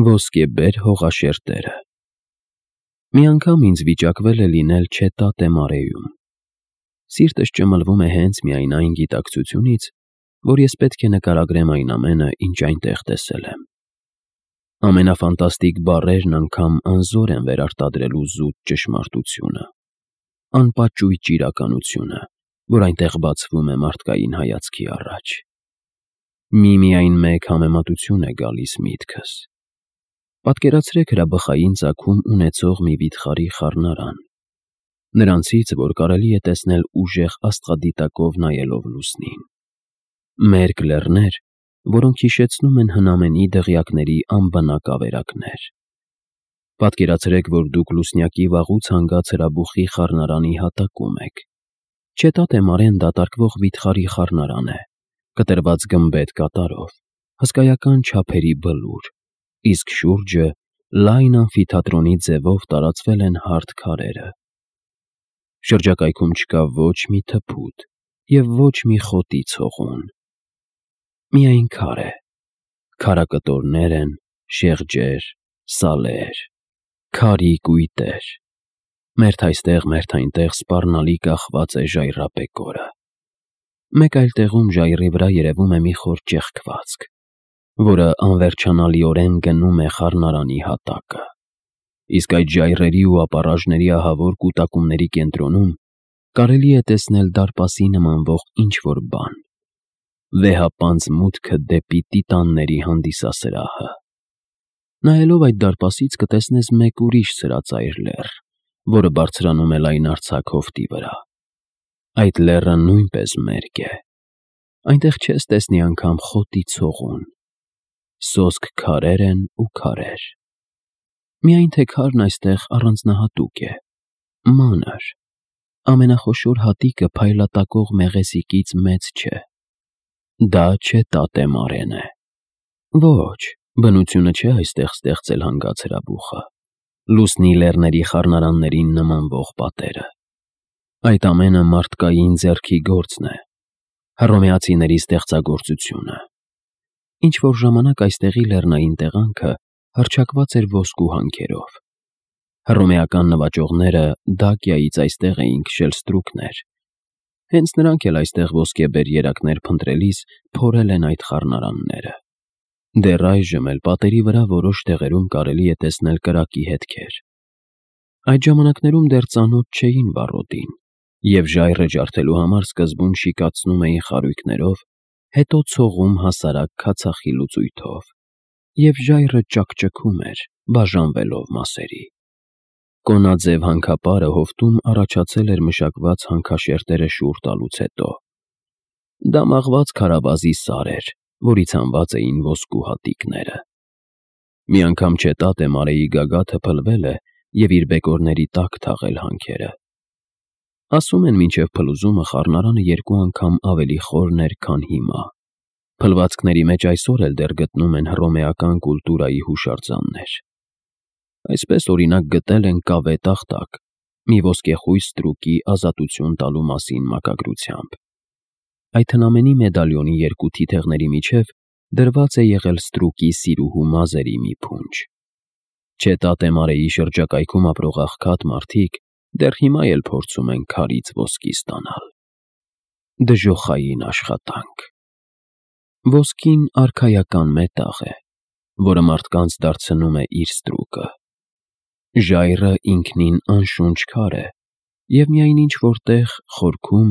Ոսկեբեր հողաշերտերը։ Մի անգամ ինձ վիճակվել է լինել Չետատե մարեում։ Սիրտս ճմլվում է հենց միայն այն գիտակցությունից, որ ես պետք է նկարագրեմ այն ամենը, ինչ այնտեղ տեսել եմ։ Ամենաֆանտաստիկ բառերն անգամ անզոր են վերարտադրելու զուտ ճշմարտությունը, անպաճույճ իրականությունը, որ այնտեղ բացվում է մարդկային հայացքի առաջ։ Միայն մեկ համեմատություն է գալիս միտքս։ Պատկերացրեք հրաբխային ծագում ունեցող մի վիթխարի խառնարան, նրանցից, որ կարելի է տեսնել ուժեղ աստղադիտակով նայելով լուսնին։ Մերկ լեռներ, որոնք հիշեցնում են հնամենի դղյակների անբնակ ավերակներ։ Պատկերացրեք, որ դուք լուսնյակի վաղուց հանգած հրաբուխի խառնարանի հատակում եք։ Չետատե մարեն դատարկվող վիթխարի խառնարան է, կտրված գմբեթ կատարով, հսկայական չափերի բլուր, իսկ շուրջը լայն ամֆիթատրոնի ձևով տարածվել են հարթ քարերը։ Շրջակայքում չկա ոչ մի թփուտ և ոչ մի խոտի ցողուն։ Միայն քար է, քարակտորներ են, շեղջեր, սալեր, քարի կույտեր։ Մերթ այստեղ, մերթ այնտեղ սպառնալի կախված է ժայռապեկորը։ Մեկ այլ տեղում ժայռի վրա երևում է մի խոր ճեղքվածք, որը անվերջանալիորեն գնում է խառնարանի հատակը, իսկ այդ ժայռերի ու ապառաժների ահավոր կուտակումների կենտրոնում կարելի է տեսնել դարպասի նմանվող ինչ-որ բան, վեհապանծ մուտքը դեպի տիտանների հանդիսասրահը։ Նայելով այդ դարպասից կտեսնես մեկ ուրիշ սրածայր լեռ, որը բարձրանում է լայնարձակ հովտի վրա։ Այդ լեռը նույնպես մերկ է։ Այնտեղ չես տեսնի անգամ խոտի ցողուն։ Սոսկ քարեր են ու քարեր։ Միայն թե քարն այստեղ առանձնահատուկ է, մանր, ամենախոշոր հատիկը փայլատակող մեղեսիկից մեծ չէ։ Դա Չետատե մարեն է։ Ոչ, բնությունը չէ այստեղ ստեղծել հանգած հրաբուխը, լուսնի լեռների խառնարաններին նմանվող պատերը։ Այդ ամենը մարդկային ձեռքի գործն է, հռոմեացիների ստեղծագործությունը։ Ինչ-որ ժամանակ այստեղի լեռնային տեղանքը հռչակված էր ոսկու հանքերով։ Հռոմեական նվաճողները Դակիայից այստեղ էին քշել ստրուկներ։ Հենց նրանք էլ այստեղ ոսկեբեր երակներ փնտրելիս փորել են այդ խառնարանները։ Դեռ այժմ էլ պատերի վրա որոշ տեղերում կարելի է տեսնել կրակի հետքեր։ Այդ ժամանակներում դեռ ծանոթ չէին վառոդին, և ժայռը ջարդելու համար սկզբում շիկացնում էին խարույկներով, հետո ցողում հասարակ քացախի լուծույթով, և ժայռը ճաքճքում էր, բաժանվելով մասերի։ Կոնաձև հանքապարը հովտում առաջացել էր մշակված հանքաշերտերը շուռ տալուց հետո։ Դա մաղված քարավազի սար էր, որից հանված էին ոսկու հատիկները։ Մի անգամ Չետատե մարեի գագաթը փլվել է և իր բեկորների տակ թաղել հանքերը։ Ասում են, մինչև փլուզումը խառնարանը 2 անգամ ավելի խորն էր, քան հիմա։ Փլվածքների մեջ այսօր էլ դեռ գտնում են հռոմեական կուլտուրայի հուշարձաններ։ Այսպես, օրինակ, գտել են կավե տախտակ, մի ոսկեխույս ստրուկի ազատություն տալու մասին մակագրությամբ։ Այդ հնամենի մեդալիոնի 2 թիթեղների միջև դրված է եղել ստրուկի սիրուհու մազերի մի փունջ։ Չետատե մարեի շրջակայքում ապրող աղքատ մարդիկ դեռ հիմա էլ փորձում են քարից ոսկի ստանալ։ Դժոխային աշխատանք։ Ոսկին արքայական մետաղ է, որը մարդկանց դարձնում է իր ստրուկը։ Ժայռը ինքնին անշունչ քար է, և միայն ինչ-որ տեղ խորքում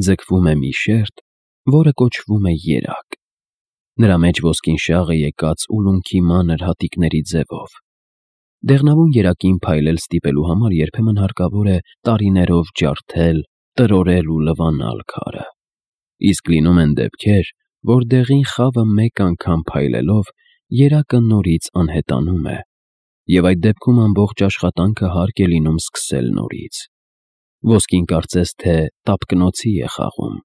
ձգվում է մի շերտ, որը կոչվում է երակ։ Նրա մեջ ոսկին շաղ է եկած ուլունքի մանր հատիկների ձևով։ Դեղնավուն երակին փայլել ստիպելու համար երբեմն հարկավոր է տարիներով ջարդել, տրորել ու լվանալ քարը։ Իսկ լինում են դեպքեր, որ դեղին խավը մեկ անգամ փայլելով երակը նորից անհետանում է, և այդ դեպքում ամբողջ աշխատանքը հարկ է լինում սկսել նորից։ Ոսկին կարծես թե տապկնոցի է խաղում։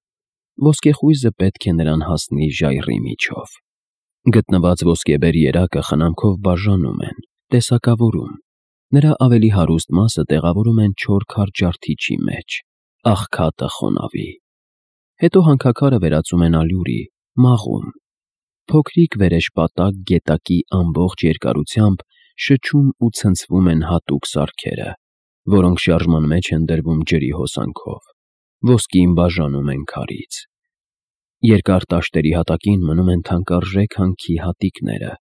Ոսկեխույզը պետք է նրան հասնի ժայռի միջով։ Գտնված ոսկեբեր երակը խնամքով բաժանում են, տեսակավորում։ Նրա ավելի հարուստ մասը տեղավորում են չոր քարջարդիչի մեջ, աղքատը խոնավի։ Հետո հանքաքարը վերածում են ալյուրի, մաղում։ փոքրիկ վերեշպատակ գետակի ամբողջ երկարությամբ շչում ու ցնցվում են հատուկ սարքերը, որոնք շարժման մեջ են դրվում ջրի հոսանքով, ոսկին բաժանում են քարից։ Երկար տաշտերի հատակին մնում են թանկարժեք հանքի հատիկները,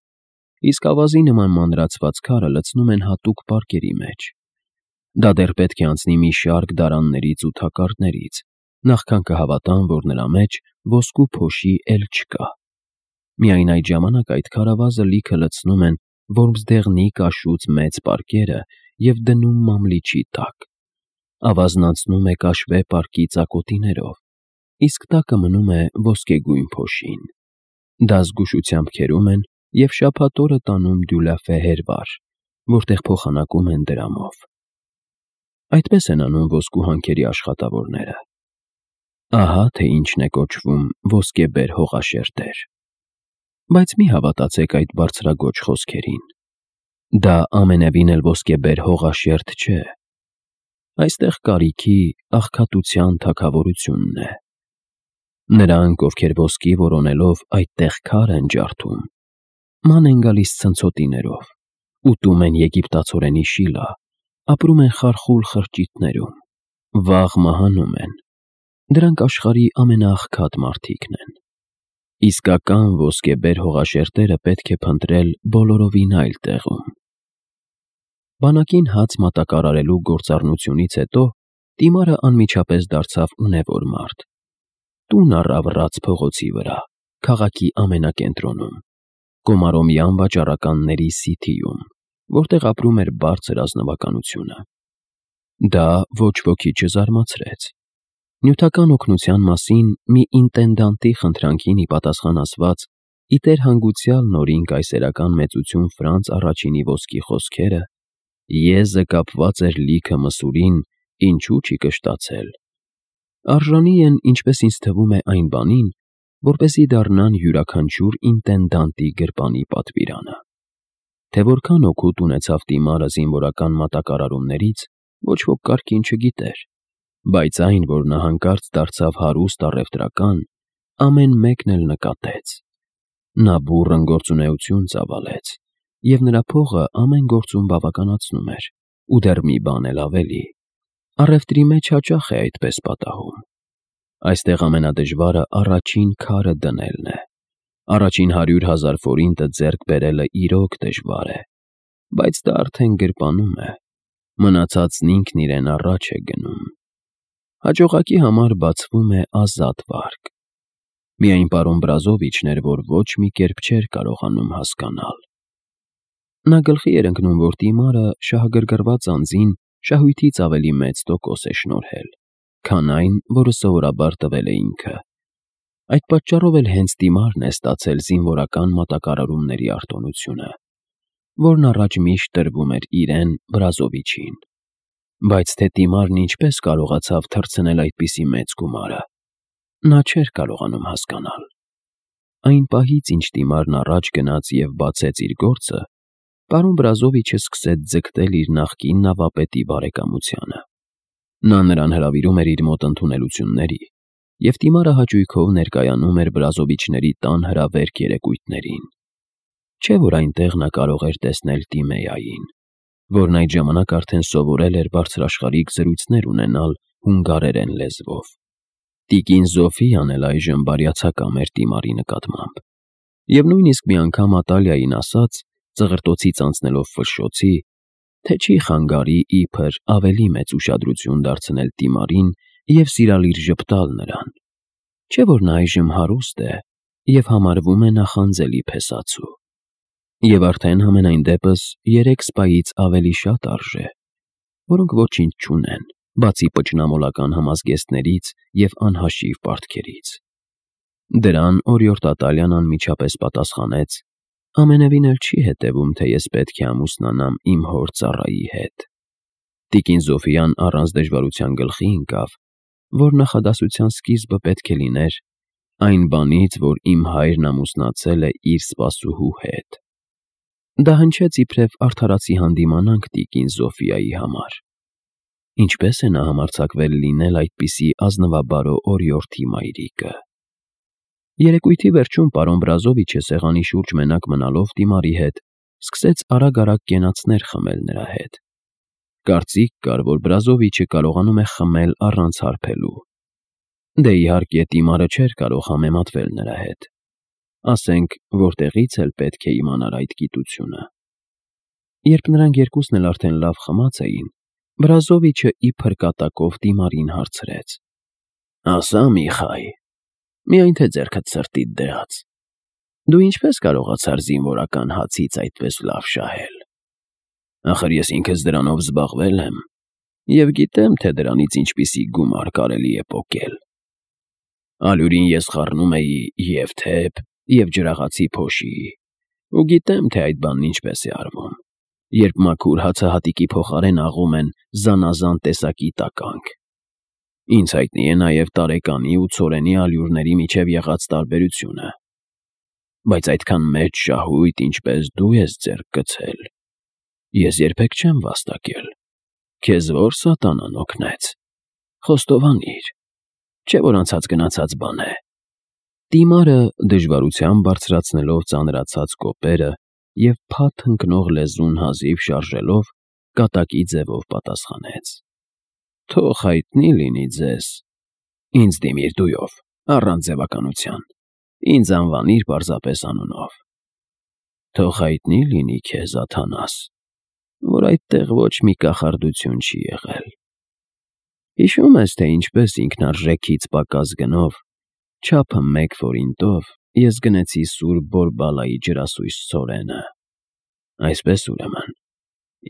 իսկ ավազի նման մանրացված քարը լցնում են հատուկ պարկերի մեջ։ Դա դեռ պետք է անցնի մի շարք դարաններից ու թակարդներից, նախքան կհավատան, որ նրա մեջ ոսկու փոշի էլ չկա։ Միայն այդ ժամանակ այդ քարավազը լիքը լցնում են որմզդեղնի կաշուց մեծ պարկերը և դնում մամլիչի տակ։ Ավազն անցնում է կաշվե պարկի ծակոտիներով, իսկ տակը մնում է ոսկեգույն փոշին։ Դա զգուշությամբ քերում են և շաբաթ օրը տանում դյուլաֆե հերվար, որտեղ փոխանակում են դրամով։ Այդպես են անում ոսկու հանքերի աշխատավորները։ Ահա թե ինչն է կոչվում ոսկեբեր հողաշերտեր։ Բայց մի հավատացեք այդ բարձրագույն խոսքերին։ Դա ամենևին էլ ոսկեբեր հողաշերտ չէ։ Այստեղ կարիքի, աղքատության թագավորությունն է։ Նրանք, ովքեր ոսկի որոնելով այդտեղ քար են ջարդում, ման են գալիս ցնցոտիներով, ուտում են եգիպտացորենի շիլա, ապրում են խարխուլ խրճիթներում, վաղ մահանում են։ Դրանք աշխարհի ամենաաղքատ մարդիկն են։ Իսկական ոսկեբեր հողաշերտերը պետք է փնտրել բոլորովին այլ տեղում։ Բանակին հաց մատակարարելու գործառնությունից հետո Տիմարը անմիջապես դարձավ ունևոր մարդ։ Տուն առավ Ռաց փողոցի վրա, քաղաքի ամենակենտրոնում, Կոմարոմյան վաճառականների սիթիում, որտեղ ապրում էր բարձր ազնվականությունը։ Դա ոչ ոքի չզարմացրեց։ Նյութական օգնության մասին մի ինտենդանտի խնդրանքին ի պատասխան ասված, ի տեր հանգուցյալ նորին կայսերական մեծություն Ֆրանց առաջինի ոսկի խոսքերը, եզը կապված էր լիքը մսուրին, ինչու չի կշտացել։ Արժանի են, ինչպես ինձ թվում է, այն բանին, որպեսզի դառնան յուրաքանչյուր ինտենդանտի գրպանի պատվիրանը։ Թե որքան օգուտ ունեցավ Տիմարը զինվորական մատակարարումներից, ոչ ոք կարգին չգիտեր, բայց այն, որ նա հանկարծ դարձավ հարուստ առևտրական, ամեն մեկն էլ նկատեց։ Նա բուռն գործունեություն ծավալեց, և նրա փողը ամեն գործում բավականացնում էր, ու դեռ մի բան էլ ավելի. առևտրի մեջ հաճախ է այդպես պատահում։ Այստեղ ամենադժվարը առաջին քարը դնելն է։ Առաջին 100,000 ֆորինտը ձեռք բերելը իրոք դժվար է, բայց դա արդեն գրպանում է, մնացածն ինքն իրեն առաջ է գնում։ Հաջողակի համար բացվում է ազատ վարկ։ Միայն պարոն Բրազովիչն էր, որ ոչ մի կերպ չէր կարողանում հասկանալ։ Նա գլխի էր ընկնում, որ Տիմարը շահագրգռված անձին շահույթից ավելի մեծ տոկոս է շնորհել, քան այն, որը սովորաբար տվել է ինքը։ Այդ պատճառով էլ հենց Տիմարն է ստացել զինվորական մատակարարումների արտոնությունը, որն առաջ միշտ տրվում էր իրեն Բրազովիչին։ Բայց թե Տիմարն ինչպես կարողացավ թռցնել այդպիսի մեծ գումարը, նա չէր կարողանում հասկանալ։ Այն պահից, ինչ Տիմարն առաջ գնաց և բացեց իր գործը, պարոն Բրազովիչը սկսեց ձգտել իր նախկին նավապետի բարեկամությանը։ Նա նրան հրավիրում էր իր մոտ ընդունելությունների, և Տիմարը հաճույքով ներկայանում էր Բրազովիչների տան հրավերք երեկույթներին։ Չէ՞ որ այնտեղ նա կարող էր տեսնել Տիմեային, որն այդ ժամանակ արդեն սովորել էր բարձրաշխարհիկ զրույցներ ունենալ հունգարերեն լեզվով։ Տիկին Զոֆիան էլ այժմ բարյացակամ էր Տիմարի նկատմամբ, և նույնիսկ մի անգամ Ատալիային ասաց, ծղրտոցից անցնելով Ֆշշոցի, թե չի խանգարի իբր ավելի մեծ ուշադրություն դարձնել Տիմարին և սիրալիր ժպտալ նրան։ Չէ՞ որ նա այժմ հարուստ է և համարվում է նախանձելի փեսացու։ Եվ արդեն համենայն դեպս 3 սպայից ավելի շատ արժե, որոնք ոչինչ չունեն, բացի պճնամոլական համազգեստներից և անհաշիվ պարտքերից։ Դրան օրիորդ Ատալիան անմիջապես պատասխանեց. ամենևին էլ չի հետևում, թե ես պետք է ամուսնանամ իմ հոր ծառայի հետ։ Տիկին Զոֆիան առանց դժվարության գլխի ընկավ, որ նախադասության սկիզբը պետք է լիներ այն բանից, որ իմ հայրն ամուսնացել է իր սպասուհու հետ։ Դա հնչեց իբրև արդարացի հանդիմանանք տիկին Զոֆիայի համար։ Ինչպես է նա համարձակվել լինել այդպիսի ազնվաբարո օրիորդի մայրիկը։ Երեկույթի վերջում պարոն Բրազովիչը սեղանի շուրջ մենակ մնալով Տիմարի հետ սկսեց արագ-արագ կենացներ խմել նրա հետ։ Կարծիք կար, որ Բրազովիչը կարողանում է խմել առանց հարբելու։ Դե իհարկե Տիմարը չէր կարող համեմատվել նրա հետ։ Ասենք, որտեղից էլ պետք է իմանար այդ գիտությունը։ Երբ նրանք երկուսն էլ արդեն լավ խմած էին, Բրազովիչը իբր կատակով Տիմարին հարցրեց. «Ասա, Միխայ, միայն թե ձեռքդ սրտիդ դրած, դու ինչպես կարողացար զինվորական հացից այդպես լավ շահել։ Ախր ես ինքս դրանով զբաղվել եմ և գիտեմ, թե դրանից ինչպիսի գումար կարելի է պոկել։ Ալյուրին ես խառնում էի և թեփ, և ջրաղացի փոշի, ու գիտեմ, թե այդ բանն ինչպես է արվում, երբ մաքուր հացը հատիկի փոխարեն աղում են զանազան տեսակի տականք։ Ինձ հայտնի է նաև տարեկանի ու ցորենի ալյուրների միջև եղած տարբերությունը, բայց այդքան մեծ շահույթ, ինչպես դու ես ձեռք գցել, ես երբեք չեմ վաստակել։ Քեզ ո՞ր սատանան օգնեց։ Խոստովանիր, չէ՞ որ անցած գնացած բան է»։ Տիմարը դժվարությամբ բարձրացնելով ծանրացած կոպերը և փաթ ընկնող լեզուն հազիվ շարժելով, կատակի ձևով պատասխանեց. «Թող հայտնի լինի ձեզ։ Ինձ դիմիր դույով, առանց ձևականության, ինձ անվանիր պարզապես անունով։ Թող հայտնի լինի քեզ, Աթանաս, որ այդտեղ ոչ մի կախարդություն չի եղել։ Հիշո՞ւմ ես, թե ինչպես ինքնարժեքից պակաս գնով, չափը 1 ֆորինտով ես գնեցի Սուրբ Բորբալայի ջրասույզ ցորենը։ Այսպես ուրեմն,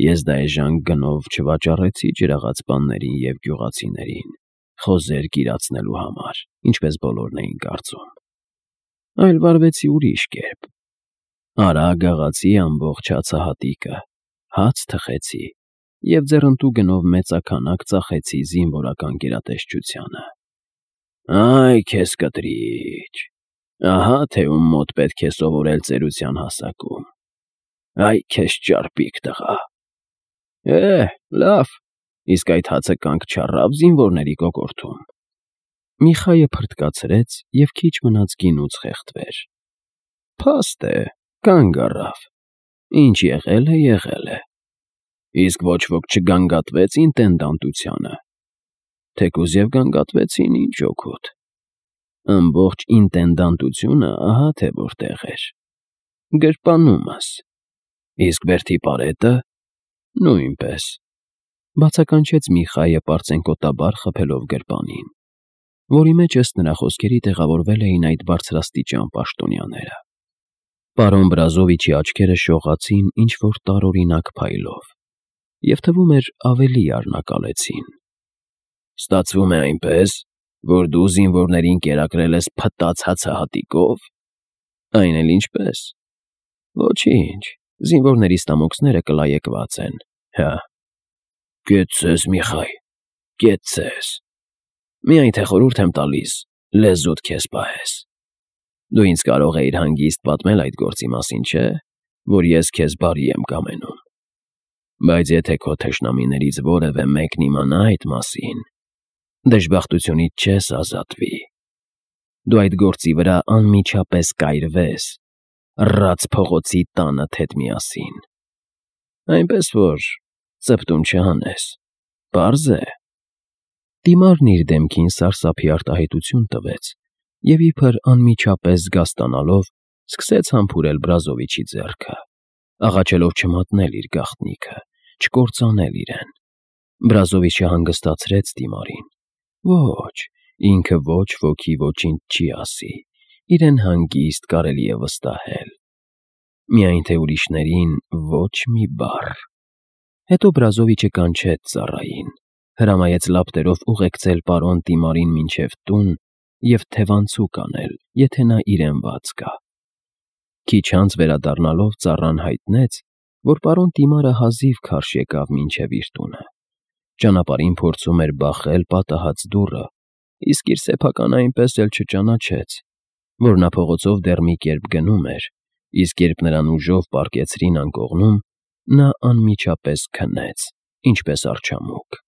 ես դա էժան գնով չվաճառեցի ջրաղացպաններին և գյուղացիներին, խոզեր կիրացնելու համար, ինչպես բոլորն էին կարծում, այլ վարվեցի ուրիշ կերպ։ Արագ աղացի ամբողջ հացահատիկը, հաց թխեցի և ձեռնտու գնով մեծաքանակ ծախեցի զինվորական գերատեսչությանը։ Այ քեզ կտրիչ, ահա թե ում մոտ պետք է սովորել ծերության հասակում։ Այ քեզ ճարպիկ տղա։ Լավ, իսկ այդ հացը կանգ չառավ զինվորների կոկորդում։ Միխայը փրթկացրեց և քիչ մնաց գինուց խեղդվեր։ Փաստ է, կանգ առավ։ Ինչ եղել է, եղել է։ Իսկ ոչ ոք չգանգատվեց ինտենդանտությանը։ Թեկուզ և գանգատվեցին, ինչ օգուտ։ Ամբողջ ինտենդանտությունը ահա թե որտեղ էր։ Գրպանումս։ Իսկ բերդի պարետը՝ նույնպես, բացականչեց Միխայը պարծենկոտաբար խփելով գրպանին, որի մեջ ըստ նրա խոսքերի տեղավորվել էին այդ բարձրաստիճան պաշտոնյաները։ Պարոն Բրազովիչի աչքերը շողացին ինչ-որ տարօրինակ փայլով և թվում էր ավելի արնակալեցին։ Ստացվում է այնպես, որ դու զինվորներին կերակրել ես փտած հացահատիկով։ Այն էլ ինչպես։ Ոչինչ, զինվորների ստամոքսները կլայեկված են, հա։ Կեցցես, Միխայ, կեցցես։ Միայն թե խորհուրդ եմ տալիս, լեզուդ քեզ պահես։ Դու ինձ կարող էիր հանգիստ պատմել այդ գործի մասին, չէ՞, որ ես քեզ բարի եմ կամենում։ Բայց եթե քո թշնամիներից որևէ մեկն իմանա այդ մասին, դժբախտությունից չես ազատվի։ Դու այդ գործի վրա անմիջապես կայրվես, ռաց փողոցի տանդ հետ միասին։ Այնպես որ ծպտուն չհանես, պարզ է։ Տիմարն իր դեմքին սարսափի արտահայտություն տվեց և իբր անմիջապես զգաստանալով սկսեց համբուրել Բրազովիչի ձեռքը, աղաչելով չմատնել իր գաղտնիքը, չկործանել իրեն։ Բրազովիչը հանգստացրեց Տիմարին։ Ոչ, ինքը ոչ ոքի ոչինչ չի ասի, իրեն հանգիստ կարելի է վստահել։ Միայն թե ուրիշներին ոչ մի բառ։ Հետո Բրազովիչը կանչեց ծառային, հրամայեց լապտերով ուղեկցել պարոն Տիմարին մինչև տուն և թևանցուկ անել, եթե նա իրեն ված կա։ Քիչ անց վերադառնալով ծառան հայտնեց, որ պարոն Տիմարը հազիվ քարշ եկավ մինչև իր տունը։ Ճանապարհին փորձում էր բախել պատահած դուռը, իսկ իր սեփականը այնպես էլ չճանաչեց, որ նա փողոցով դեռ մի կերպ գնում էր, իսկ երբ նրան ուժով պառկեցրին անկողնում, նա անմիջապես քնեց, ինչպես արջամուկ։